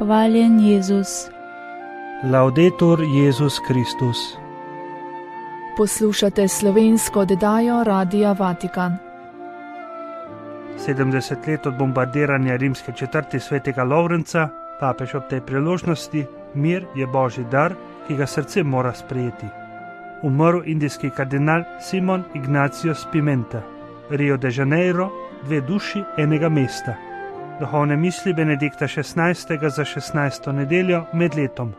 Hvaljen Jezus. Laudetur Jezus Kristus. Poslušate slovensko oddajo Radia Vatikan. 70 let od bombardiranja rimske četrti svetega Lovrenca, papež ob tej priložnosti: mir je božji dar, ki ga srce mora sprejeti. Umrl indijski kardinal Simon Ignatius Pimenta. Rio de Janeiro, 2 duši enega mesta. Duhovne misli Benedikta XVI. Za 16. nedeljo med letom.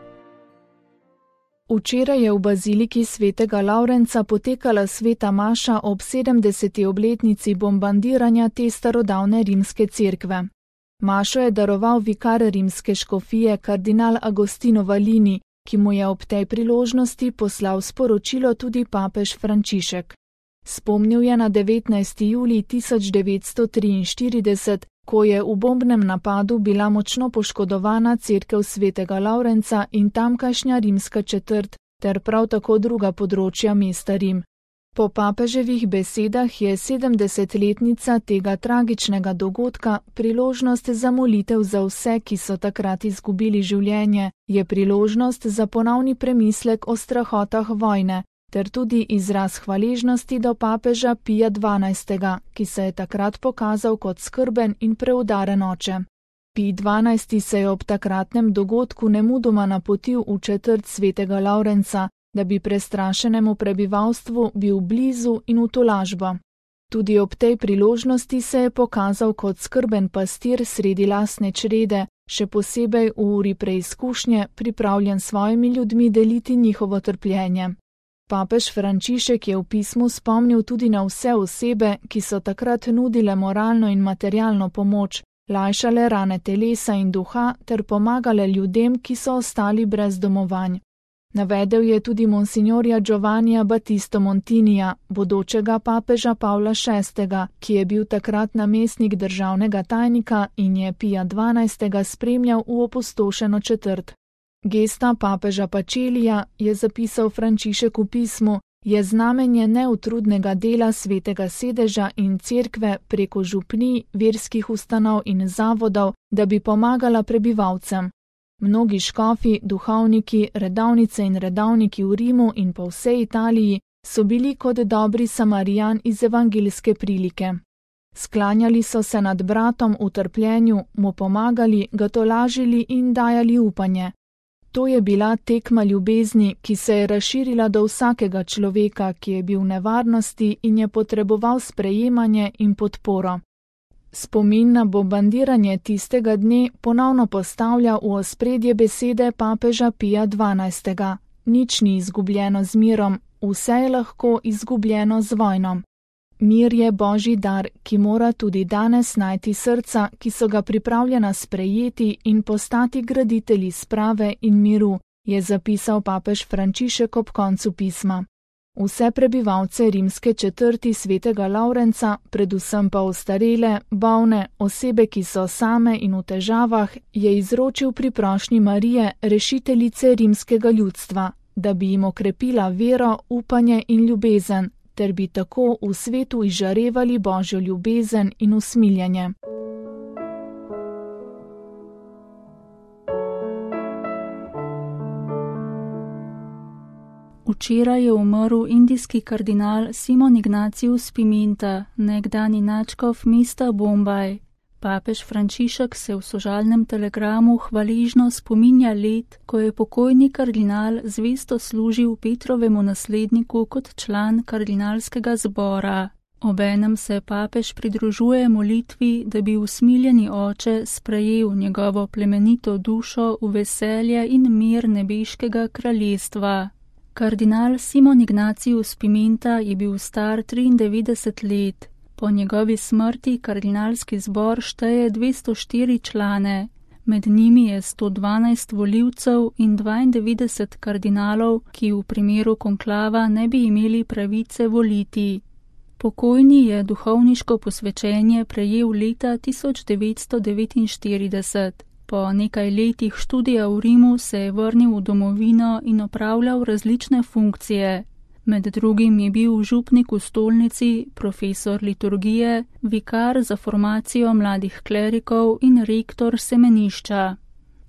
Včeraj je v baziliki svetega Lovrenca potekala sveta maša ob 70. obletnici bombardiranja te starodavne rimske cerkve. Mašo je daroval vikar rimske škofije kardinal Agostino Valini, ki mu je ob tej priložnosti poslal sporočilo tudi papež Frančišek. Spomnil je na 19. julij 1943, ko je v bombnem napadu bila močno poškodovana cerkev svetega Lovrenca in tamkajšnja rimska četrt, ter prav tako druga področja mesta Rim. Po papeževih besedah je 70-letnica tega tragičnega dogodka priložnost za molitev za vse, ki so takrat izgubili življenje, je priložnost za ponovni premislek o strahotah vojne, ter tudi izraz hvaležnosti do papeža Pija XII., ki se je takrat pokazal kot skrben in preudaren oče. Pij XII. Se je ob takratnem dogodku nemudoma napotil v četrt svetega Lovrenca, da bi prestrašenemu prebivalstvu bil blizu in v tolažbo. Tudi ob tej priložnosti se je pokazal kot skrben pastir sredi lastne črede, še posebej v uri preizkušnje, pripravljen s svojimi ljudmi deliti njihovo trpljenje. Papež Frančišek je v pismu spomnil tudi na vse osebe, ki so takrat nudile moralno in materialno pomoč, lajšale rane telesa in duha ter pomagale ljudem, ki so ostali brez domovanj. Navedel je tudi monsignorja Giovannija Battisto Montinija, bodočega papeža Pavla VI., ki je bil takrat namestnik državnega tajnika in je Pija XII. Spremljal v opustošeno četrt. Gesta papeža Pacelija, je zapisal Frančišek v pismu, je znamenje neutrudnega dela svetega sedeža in cerkve preko župnij, verskih ustanov in zavodov, da bi pomagala prebivalcem. Mnogi škofi, duhovniki, redovnice in redovniki v Rimu in po vsej Italiji so bili kot dobri Samarijan iz evangeljske prilike. Sklanjali so se nad bratom v trpljenju, mu pomagali, ga tolažili in dajali upanje. To je bila tekma ljubezni, ki se je razširila do vsakega človeka, ki je bil v nevarnosti in je potreboval sprejemanje in podporo. Spomin na bombardiranje tistega dne ponovno postavlja v ospredje besede papeža Pija XII. Nič ni izgubljeno z mirom, vse je lahko izgubljeno z vojno. Mir je božji dar, ki mora tudi danes najti srca, ki so ga pripravljena sprejeti in postati graditelji sprave in miru, je zapisal papež Frančišek ob koncu pisma. Vse prebivalce rimske četrti svetega Lovrenca, predvsem pa ostarele, bolne, osebe, ki so same in v težavah, je izročil pri prošnji Marije, rešiteljice rimskega ljudstva, da bi jim okrepila vero, upanje in ljubezen, ter bi tako v svetu izžarevali božjo ljubezen in usmiljenje. Včeraj je umrl indijski kardinal Simon Ignatius Pimenta, nekdanji nadškof mesta Bombaj. Papež Frančišek se v sožalnem telegramu hvaležno spominja let, ko je pokojni kardinal zvesto služil Petrovemu nasledniku kot član kardinalskega zbora. Obenem se papež pridružuje molitvi, da bi usmiljeni oče sprejel njegovo plemenito dušo v veselje in mir nebeškega kraljestva. Kardinal Simon Ignatius Pimenta je bil star 93 let. Po njegovi smrti kardinalski zbor šteje 204 člane, med njimi je 112 volivcev in 92 kardinalov, ki v primeru konklava ne bi imeli pravice voliti. Pokojni je duhovniško posvečenje prejel leta 1949. Po nekaj letih študija v Rimu se je vrnil v domovino in opravljal različne funkcije. Med drugim je bil župnik v stolnici, profesor liturgije, vikar za formacijo mladih klerikov in rektor semenišča.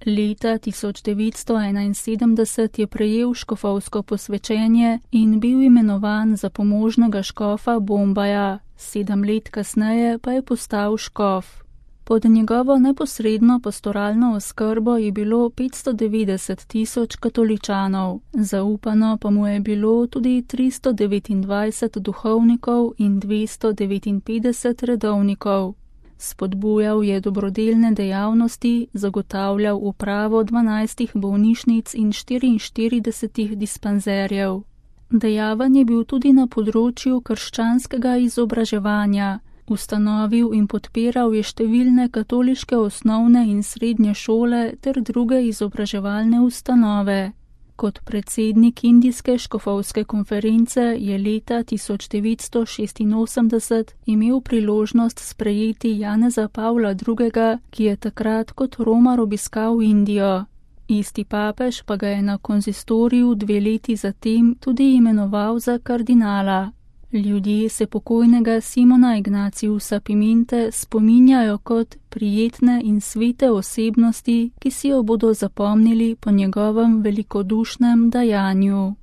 Leta 1971 je prejel škofovsko posvečenje in bil imenovan za pomožnega škofa Bombaja, 7 let kasneje pa je postal škof. Pod njegovo neposredno pastoralno oskrbo je bilo 590.000 katoličanov, zaupano pa mu je bilo tudi 329 duhovnikov in 259 redovnikov. Spodbujal je dobrodelne dejavnosti, zagotavljal upravo 12 bolnišnic in 44 dispanzerjev. Dejaven je bil tudi na področju krščanskega izobraževanja. Ustanovil in podpiral je številne katoliške osnovne in srednje šole ter druge izobraževalne ustanove. Kot predsednik Indijske škofovske konference je leta 1986 imel priložnost sprejeti Janeza Pavla II., ki je takrat kot romar obiskal Indijo. Isti papež pa ga je na konzistoriju 2 leti zatem tudi imenoval za kardinala. Ljudje se pokojnega Simona Ignaciusa Piminte spominjajo kot prijetne in svete osebnosti, ki si jo bodo zapomnili po njegovem velikodušnem dajanju.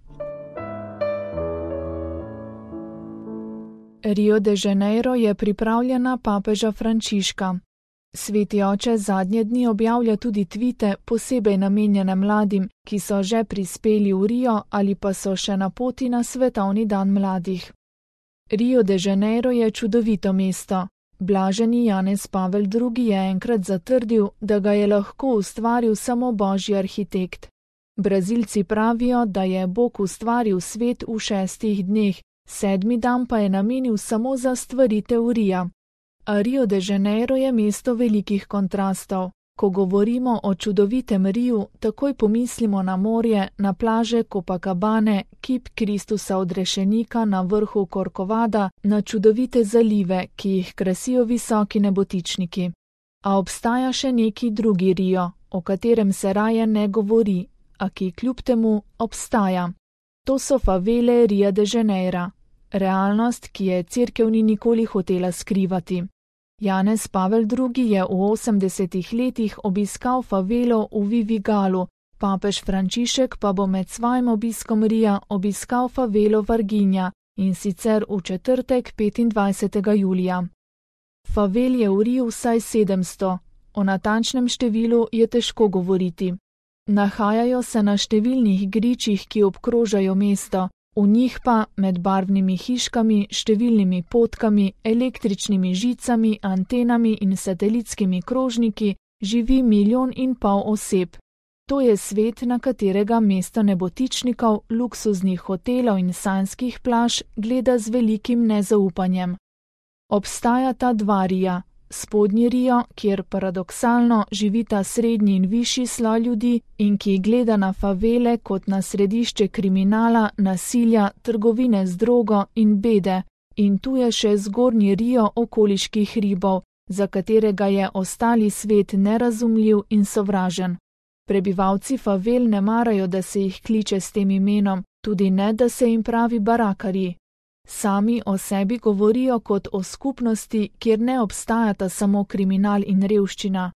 Rio de Janeiro je pripravljena papeža Frančiška. Sveti oče zadnje dni objavlja tudi tvite, posebej namenjene mladim, ki so že prispeli v Rio ali pa so še na poti na svetovni dan mladih. Rio de Janeiro je čudovito mesto. Blaženi Janez Pavel II. Je enkrat zatrdil, da ga je lahko ustvaril samo božji arhitekt. Brazilci pravijo, da je Bog ustvaril svet v 6 dneh, 7. dan pa je namenil samo za stvaritev Ria. A Rio de Janeiro je mesto velikih kontrastov. Ko govorimo o čudovitem Riu, takoj pomislimo na morje, na plaže Copacabane, kip Kristusa odrešenika na vrhu Corcovada, na čudovite zalive, ki jih krasijo visoki nebotičniki. A obstaja še neki drugi Rio, o katerem se raje ne govori, a ki kljub temu obstaja. To so favele Ria de Janeira, realnost, ki je cerkev ni nikoli hotela skrivati. Janez Pavel II. Je v 80 letih obiskal favelo v Vivigalu, papež Frančišek pa bo med svojim obiskom Ria obiskal favelo Varginja, in sicer v četrtek 25. julija. Favel je v Riu vsaj 700, o natančnem številu je težko govoriti. Nahajajo se na številnih gričih, ki obkrožajo mesto, v njih pa med barvnimi hiškami, številnimi potkami, električnimi žicami, antenami in satelitskimi krožniki živi 1,5 milijona oseb. To je svet, na katerega mesto nebotičnikov, luksuznih hotelov in sanjskih plaž gleda z velikim nezaupanjem. Obstajata 2 Rija. Spodnji Rio, kjer paradoksalno živita srednji in višji sloj ljudi in ki gleda na favele kot na središče kriminala, nasilja, trgovine z drogo in bede. In tu je še zgornji Rio okoliških ribov, za katerega je ostali svet nerazumljiv in sovražen. Prebivalci favel ne marajo, da se jih kliče s tem imenom, tudi ne, da se jim pravi barakari. Sami o sebi govorijo kot o skupnosti, kjer ne obstajata samo kriminal in revščina.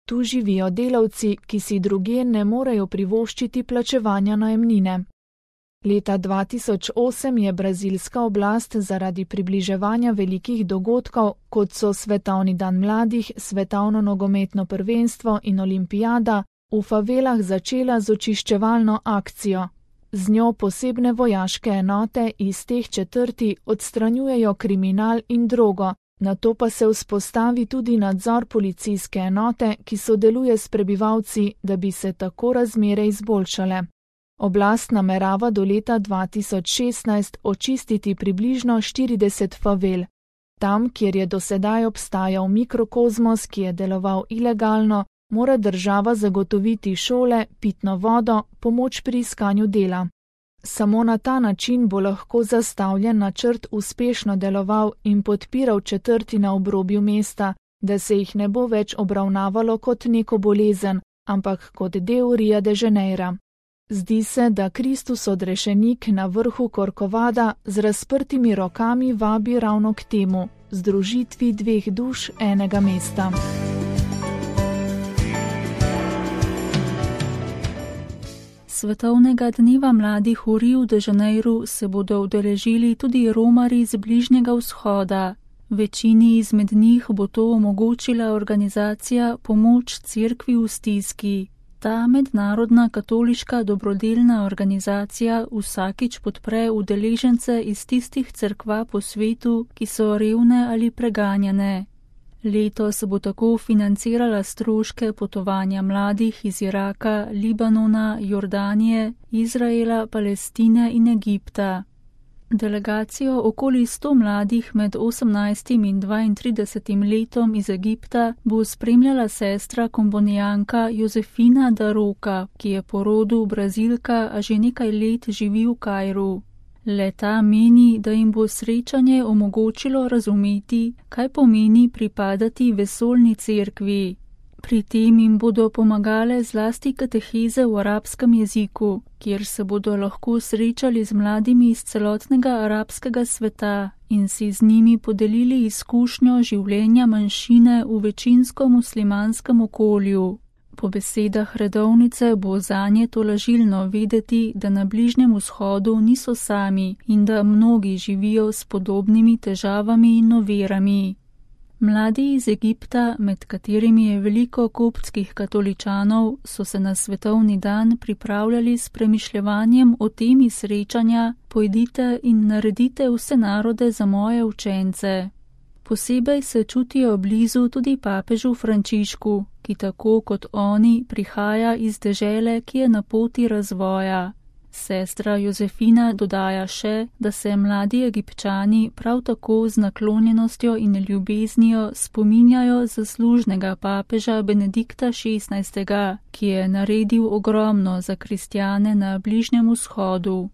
Tu živijo delavci, ki si drugje ne morejo privoščiti plačevanja najemnine. Leta 2008 je brazilska oblast zaradi približevanja velikih dogodkov, kot so Svetovni dan mladih, Svetovno nogometno prvenstvo in olimpijada, v favelah začela z očiščevalno akcijo. Z njo posebne vojaške enote iz teh četrti odstranjujejo kriminal in drogo, nato pa se vzpostavi tudi nadzor policijske enote, ki sodeluje s prebivalci, da bi se tako razmere izboljšale. Oblast namerava do leta 2016 očistiti približno 40 favel. Tam, kjer je dosedaj obstajal mikrokozmos, ki je deloval ilegalno, mora država zagotoviti šole, pitno vodo, pomoč pri iskanju dela. Samo na ta način bo lahko zastavljen načrt uspešno deloval in podpiral četrti na obrobju mesta, da se jih ne bo več obravnavalo kot neko bolezen, ampak kot del Ria de Janeira. Zdi se, da Kristus odrešenik na vrhu Corcovada z razprtimi rokami vabi ravno k temu, združitvi 2 duš enega mesta. svetovnega dneva mladih v Riu de Janeiru se bodo udeležili tudi romarji z Bližnjega vzhoda. Večini izmed njih bo to omogočila organizacija Pomoč cerkvi v stiski. Ta mednarodna katoliška dobrodelna organizacija vsakič podpre udeležence iz tistih cerkva po svetu, ki so revne ali preganjane. Letos bo tako financirala stroške potovanja mladih iz Iraka, Libanona, Jordanije, Izraela, Palestine in Egipta. Delegacijo okoli 100 mladih med 18 in 32 letom iz Egipta bo spremljala sestra kombonijanka Josefina da Roca, ki je po rodu Brazilka, a že nekaj let živi v Kairu. Le-ta meni, da jim bo srečanje omogočilo razumeti, kaj pomeni pripadati vesoljni cerkvi. Pri tem jim bodo pomagale zlasti kateheze v arabskem jeziku, kjer se bodo lahko srečali z mladimi iz celotnega arabskega sveta in si z njimi podelili izkušnjo življenja manjšine v večinsko muslimanskem okolju. Po besedah redovnice bo zanje tolažilno vedeti, da na Bližnjem vzhodu niso sami in da mnogi živijo s podobnimi težavami in ovirami. Mladi iz Egipta, med katerimi je veliko koptskih katoličanov, so se na svetovni dan pripravljali s premišljevanjem o temi srečanja Pojdite in naredite vse narode za moje učence. Posebej se čutijo blizu tudi papežu Frančišku, ki tako kot oni prihaja iz dežele, ki je na poti razvoja. Sestra Josefina dodaja še, da se mladi Egipčani prav tako z naklonjenostjo in ljubeznijo spominjajo zaslužnega papeža Benedikta XVI., ki je naredil ogromno za kristjane na Bližnjem vzhodu.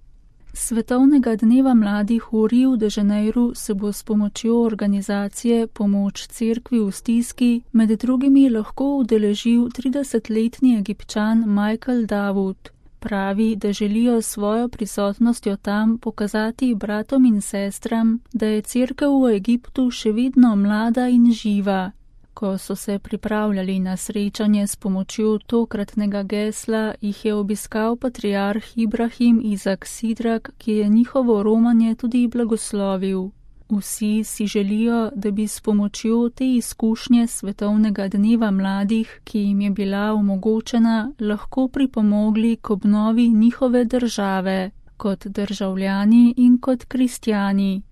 Svetovnega dneva mladih v Riu de Janeiru se bo s pomočjo organizacije Pomoč cerkvi v stiski med drugimi lahko udeležil 30-letni Egipčan Michael Davud. Pravi, da želijo svojo prisotnostjo tam pokazati bratom in sestram, da je cerkev v Egiptu še vedno mlada in živa. Ko so se pripravljali na srečanje s pomočjo tokratnega gesla, jih je obiskal patriarh Ibrahim Izak Sidrak, ki je njihovo romanje tudi blagoslovil. Vsi si želijo, da bi s pomočjo te izkušnje svetovnega dneva mladih, ki jim je bila omogočena, lahko pripomogli k obnovi njihove države, kot državljani in kot kristjani.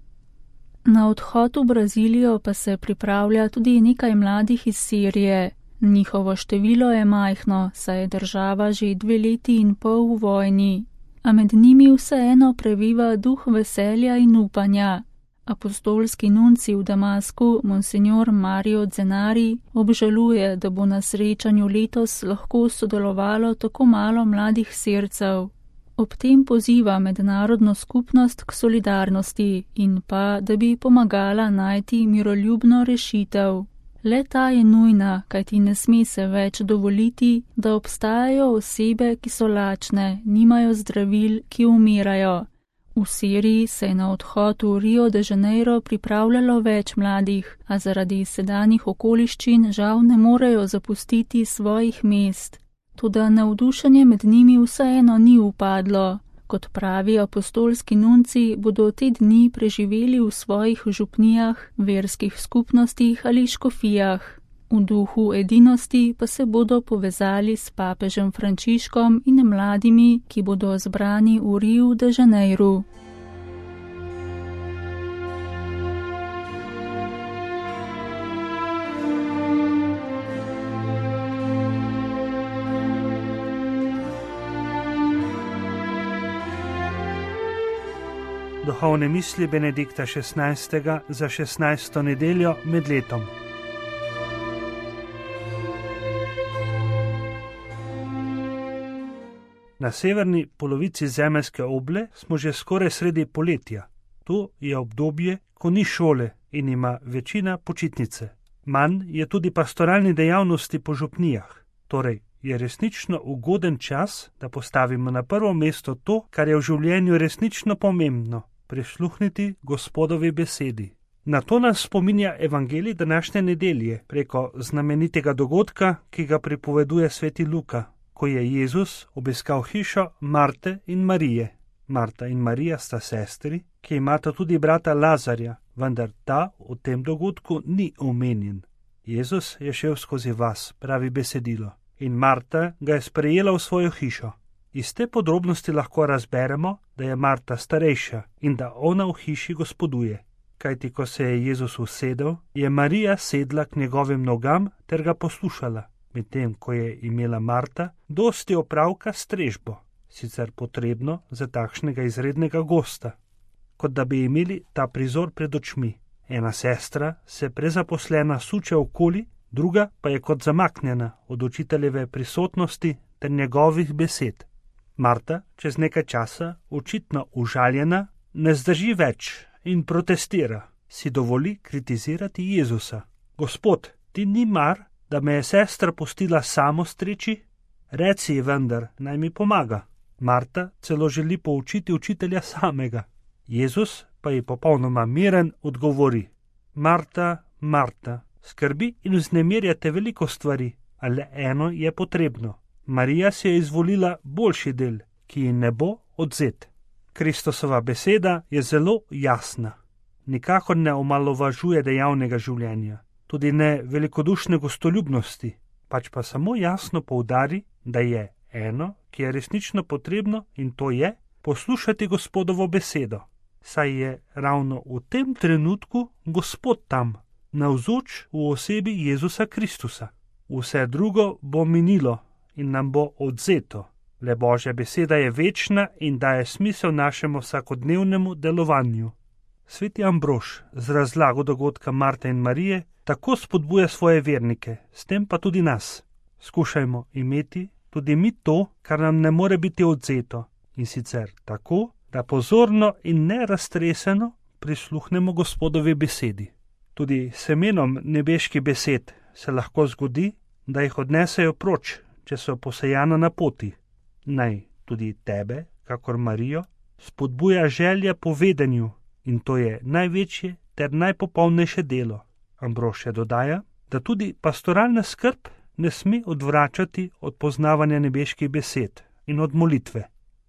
Na odhod v Brazilijo pa se pripravlja tudi nekaj mladih iz Sirije. Njihovo število je majhno, saj je država že 2 leti in pol v vojni, a med njimi vseeno previva duh veselja in upanja. Apostolski nunci v Damasku, monsignor Mario Zenari, obžaluje, da bo na srečanju letos lahko sodelovalo tako malo mladih Sircev. Ob tem poziva mednarodno skupnost k solidarnosti in pa, da bi pomagala najti miroljubno rešitev. Le ta je nujna, kajti ne sme se več dovoliti, da obstajajo osebe, ki so lačne, nimajo zdravil, ki umirajo. V Siriji se je na odhod v Rio de Janeiro pripravljalo več mladih, a zaradi sedanjih okoliščin žal ne morejo zapustiti svojih mest. Toda navdušenje med njimi vseeno ni upadlo. Kot pravi apostolski nunci, bodo te dni preživeli v svojih župnijah, verskih skupnostih ali škofijah. V duhu edinosti pa se bodo povezali s papežem Frančiškom in mladimi, ki bodo zbrani v Riu de Janeiru. Duhovne misli Benedikta XVI. Za 16. nedeljo med letom. Na severni polovici zemeljske oble smo že skoraj sredi poletja. To je obdobje, ko ni šole in ima večina počitnice. Manj je tudi pastoralni dejavnosti po župnijah. Torej je resnično ugoden čas, da postavimo na prvo mesto to, kar je v življenju resnično pomembno. Prisluhniti Gospodovi besedi. Na to nas spominja evangelij današnje nedelje preko znamenitega dogodka, ki ga pripoveduje sveti Luka, ko je Jezus obiskal hišo Marte in Marije. Marta in Marija sta sestri, ki imata tudi brata Lazarja, vendar ta v tem dogodku ni omenjen. Jezus je šel skozi vas, pravi besedilo, in Marta ga je sprejela v svojo hišo. Iz te podrobnosti lahko razberemo, da je Marta starejša in da ona v hiši gospoduje. Kajti ko se je Jezus usedel, je Marija sedla k njegovim nogam ter ga poslušala, medtem ko je imela Marta dosti opravka s strežbo, sicer potrebno za takšnega izrednega gosta, kot da bi imeli ta prizor pred očmi. Ena sestra se prezaposlena suče okoli, druga pa je kot zamaknjena od učiteljeve prisotnosti ter njegovih besed. Marta, čez nekaj časa, očitno užaljena, ne zdrži več in protestira, si dovoli kritizirati Jezusa. Gospod, ti ni mar, da me je sestra pustila samo streči? Reci ji vendar, naj mi pomaga. Marta celo želi poučiti učitelja samega. Jezus pa ji popolnoma miren odgovori: Marta, Marta, skrbi in vznemirjate veliko stvari, a le eno je potrebno. Marija si je izvolila boljši del, ki ji ne bo odvzet. Kristusova beseda je zelo jasna. Nikakor ne omalovažuje dejavnega življenja, tudi ne velikodušne gostoljubnosti, pač pa samo jasno poudari, da je eno, ki je resnično potrebno, in to je poslušati Gospodovo besedo, saj je ravno v tem trenutku Gospod tam, navzoč v osebi Jezusa Kristusa. Vse drugo bo minilo in nam bo odvzeto. Le Božja beseda je večna in daje smisel našemu vsakodnevnemu delovanju. Sveti Ambrož z razlago dogodka Marte in Marije tako spodbuja svoje vernike, s tem pa tudi nas. Skušajmo imeti tudi mi to, kar nam ne more biti odvzeto, in sicer tako, da pozorno in neraztreseno prisluhnemo Gospodovi besedi. Tudi semenom nebeških besed se lahko zgodi, da jih odnesejo proč, če so posejana na poti. Naj tudi tebe, kakor Marijo, spodbuja želja po vedenju, in to je največje ter najpopolnejše delo. Ambrož je dodaja, da tudi pastoralna skrb ne sme odvračati od poznavanja nebeških besed in od molitve.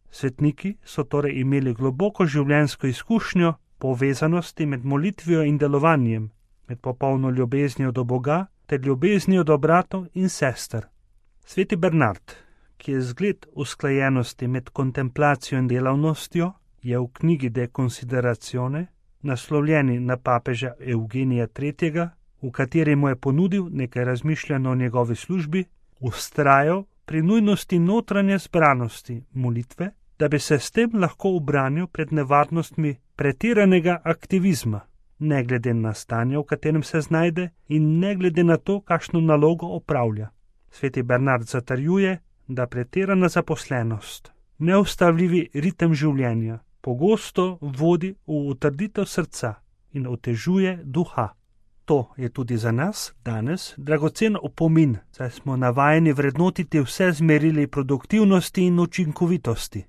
Svetniki so torej imeli globoko življenjsko izkušnjo povezanosti med molitvijo in delovanjem, med popolno ljubeznijo do Boga ter ljubeznijo do bratov in sester. Sveti Bernard, ki je zgled usklajenosti med kontemplacijo in delavnostjo, je v knjigi De Considerazione, naslovljeni na papeža Eugenija III., v kateri mu je ponudil nekaj razmišljanj o njegovi službi, vztrajal pri nujnosti notranje zbranosti molitve, da bi se s tem lahko ubranil pred nevarnostmi pretiranega aktivizma, ne glede na stanje, v katerem se znajde, in ne glede na to, kakšno nalogo opravlja. Sveti Bernard zatrjuje, da pretirana zaposlenost, neustavljivi ritem življenja, pogosto vodi v utrditev srca in otežuje duha. To je tudi za nas danes dragocen opomin, saj smo navajeni vrednotiti vse z merili produktivnosti in učinkovitosti.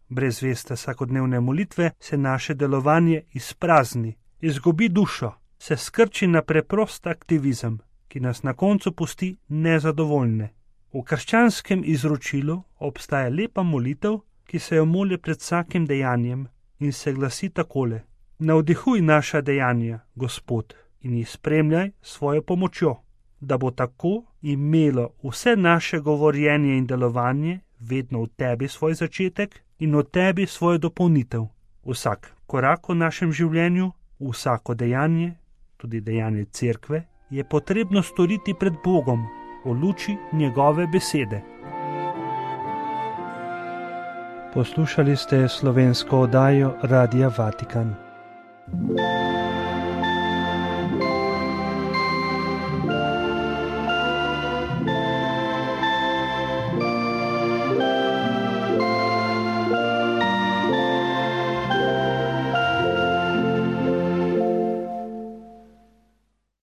Brez veste vsakodnevne molitve se naše delovanje izprazni, izgubi dušo, se skrči na preprost aktivizem, ki nas na koncu pusti nezadovoljne. V krščanskem izročilu obstaja lepa molitev, ki se jo moli pred vsakim dejanjem in se glasi takole: Navdihuj naša dejanja, Gospod, in jih spremljaj svojo pomočjo, da bo tako imelo vse naše govorjenje in delovanje vedno v tebi svoj začetek in v tebi svojo dopolnitev. Vsak korak v našem življenju, vsako dejanje, tudi dejanje cerkve, je potrebno storiti pred Bogom v luči njegove besede. Poslušali ste slovensko oddajo Radia Vatikan.